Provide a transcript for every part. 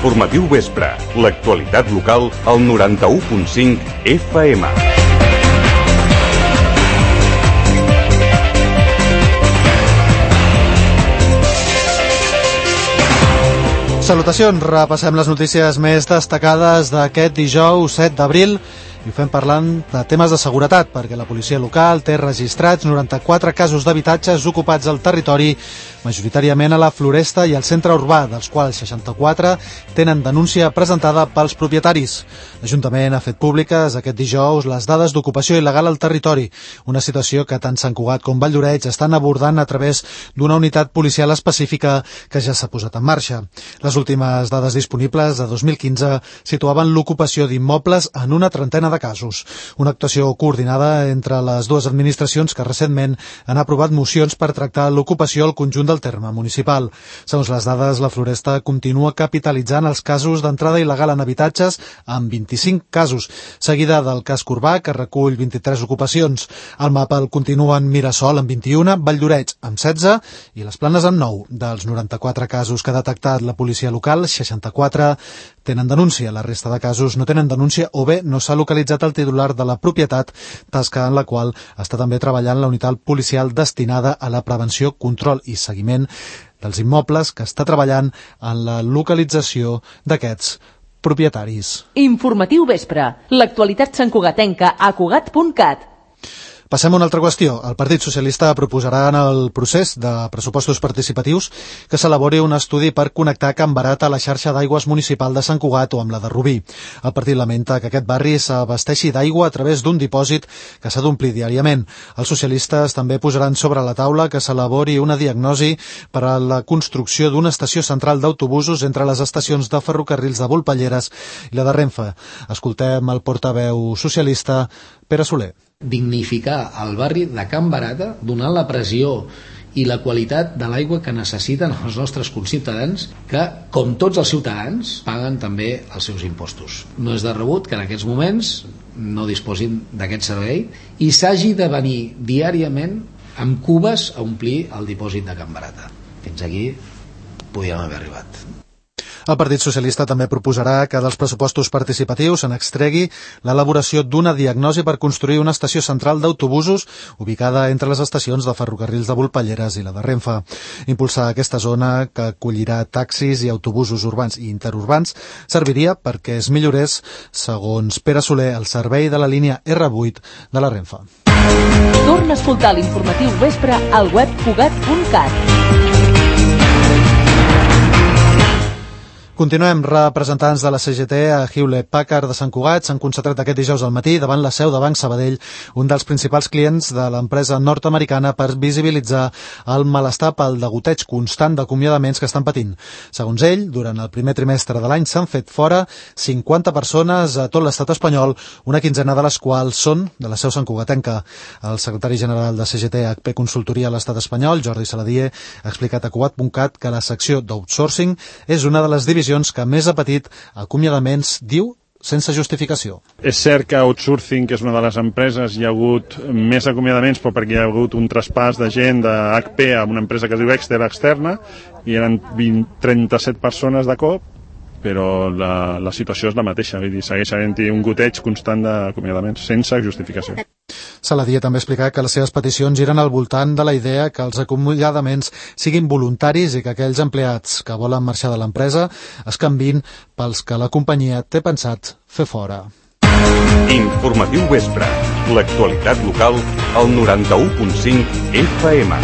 Informatiu Vespre, l'actualitat local al 91.5 FM. Salutacions, repassem les notícies més destacades d'aquest dijous 7 d'abril i ho fem parlant de temes de seguretat, perquè la policia local té registrats 94 casos d'habitatges ocupats al territori, majoritàriament a la Floresta i al centre urbà, dels quals 64 tenen denúncia presentada pels propietaris. L'Ajuntament ha fet públiques aquest dijous les dades d'ocupació il·legal al territori, una situació que tant Sant Cugat com Valldoreix estan abordant a través d'una unitat policial específica que ja s'ha posat en marxa. Les últimes dades disponibles de 2015 situaven l'ocupació d'immobles en una trentena de casos. Una actuació coordinada entre les dues administracions que recentment han aprovat mocions per tractar l'ocupació al conjunt del terme municipal. Segons les dades, la Floresta continua capitalitzant els casos d'entrada il·legal en habitatges amb 25 casos, seguida del casc urbà, que recull 23 ocupacions. Al mapa el continuen Mirasol amb 21, Valldoreix amb 16 i les Planes amb 9. Dels 94 casos que ha detectat la policia local, 64 tenen denúncia. La resta de casos no tenen denúncia o bé no s'ha localitzat el titular de la propietat, tasca en la qual està també treballant la unitat policial destinada a la prevenció, control i seguiment dels immobles, que està treballant en la localització d'aquests propietaris. Informatiu Vespre, l'actualitat santcugatenca a Cugat.cat. Passem a una altra qüestió. El Partit Socialista proposarà en el procés de pressupostos participatius que s'elabori un estudi per connectar Can Barat a la xarxa d'aigües municipal de Sant Cugat o amb la de Rubí. El partit lamenta que aquest barri s'abasteixi d'aigua a través d'un dipòsit que s'ha d'omplir diàriament. Els socialistes també posaran sobre la taula que s'elabori una diagnosi per a la construcció d'una estació central d'autobusos entre les estacions de ferrocarrils de Volpelleres i la de Renfe. Escoltem el portaveu socialista, Pere Soler. Dignificar el barri de Can Barata, donant la pressió i la qualitat de l'aigua que necessiten els nostres conciutadans, que, com tots els ciutadans, paguen també els seus impostos. No és de rebut que en aquests moments no disposin d'aquest servei i s'hagi de venir diàriament amb cubes a omplir el dipòsit de Can Barata. Fins aquí podíem haver arribat. El Partit Socialista també proposarà que dels pressupostos participatius se n'extregui l'elaboració d'una diagnosi per construir una estació central d'autobusos ubicada entre les estacions de ferrocarrils de Volpelleres i la de Renfe. Impulsar aquesta zona, que acollirà taxis i autobusos urbans i interurbans, serviria perquè es millorés, segons Pere Soler, el servei de la línia R8 de la Renfe. Torna a escoltar l'informatiu Vespre al web Cugat.cat. Continuem. Representants de la CGT a Hewlett Packard de Sant Cugat s'han concentrat aquest dijous al matí davant la seu de Banc Sabadell, un dels principals clients de l'empresa nord-americana, per visibilitzar el malestar pel degoteig constant d'acomiadaments que estan patint. Segons ell, durant el primer trimestre de l'any s'han fet fora 50 persones a tot l'estat espanyol, una quinzena de les quals són de la seu santcugatenca. El secretari general de CGT HP Consultoria a l'estat espanyol, Jordi Saladier, ha explicat a Cugat.cat que la secció d'outsourcing és una de les divisions que més ha patit acomiadaments, diu, sense justificació. És cert que Outsourcing, que és una de les empreses, hi ha hagut més acomiadaments, però perquè hi ha hagut un traspàs de gent de HP a una empresa que es diu Exter externa, i eren 37 persones de cop, però la situació és la mateixa, vull dir, segueix havent-hi un goteig constant d'acomiadaments, sense justificació. Saladier també ha explicat que les seves peticions giren al voltant de la idea que els acomiadaments siguin voluntaris i que aquells empleats que volen marxar de l'empresa es canviïn pels que la companyia té pensat fer fora. Informatiu Vespre, l'actualitat local al 91.5 FM.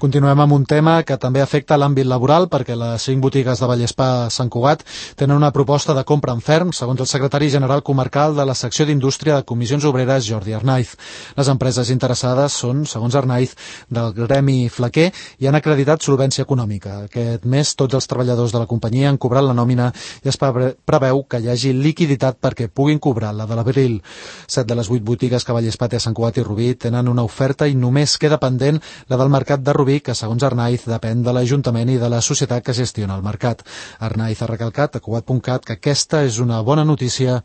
Continuem amb un tema que també afecta l'àmbit laboral, perquè les 5 botigues de Vallespà Sant Cugat tenen una proposta de compra en ferm, segons el secretari general comarcal de la secció d'Indústria de Comissions Obreres, Jordi Arnaiz. Les empreses interessades són, segons Arnaiz, del gremi flequer i han acreditat solvència econòmica. Aquest mes tots els treballadors de la companyia han cobrat la nòmina i es preveu que hi hagi liquiditat perquè puguin cobrar la de l'abril. 7 de les 8 botigues que Vallespà té a Sant Cugat i Rubí tenen una oferta i només queda pendent la del mercat de Rubí, que segons Arnaiz depèn de l'Ajuntament i de la societat que gestiona el mercat. Arnaiz ha recalcat a Cugat.cat que aquesta és una bona notícia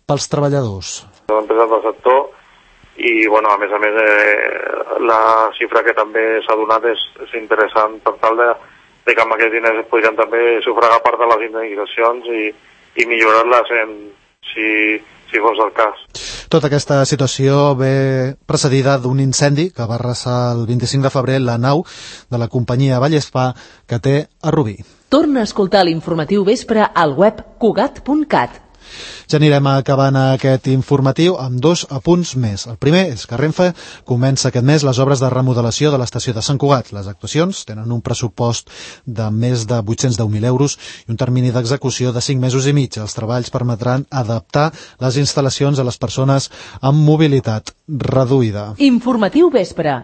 pels treballadors. Empreses del sector i, bueno, a més, la xifra que també s'ha donat és interessant per tal de de que amb aquests diners es podrien també sufragar part de les indemnitzacions i millorar-les si fos el cas. Tota aquesta situació ve precedida d'un incendi que va arrasar el 25 de febrer la nau de la companyia Vallespà que té a Rubí. Torna a escoltar l'informatiu vespre al web cugat.cat. Ja anirem acabant aquest informatiu amb 2 apunts més. El primer és que Renfe comença aquest mes les obres de remodelació de l'estació de Sant Cugat. Les actuacions tenen un pressupost de més de 810.000 euros i un termini d'execució de 5 mesos i mig. Els treballs permetran adaptar les instal·lacions a les persones amb mobilitat reduïda. Informatiu vespre.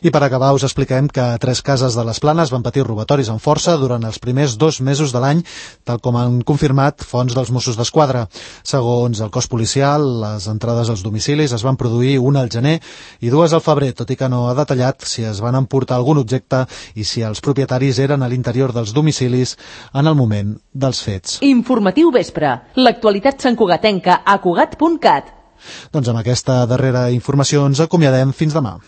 I per acabar us expliquem que 3 cases de les Planes van patir robatoris amb força durant els primers 2 mesos de l'any, tal com han confirmat fonts dels Mossos d'Esquadra. Segons el cos policial, les entrades als domicilis es van produir una al gener i 2 al febrer, tot i que no ha detallat si es van emportar algun objecte i si els propietaris eren a l'interior dels domicilis en el moment dels fets. Informatiu vespre. L'actualitat santcugatenca a cugat.cat. Doncs amb aquesta darrera informació ens acomiadem fins demà.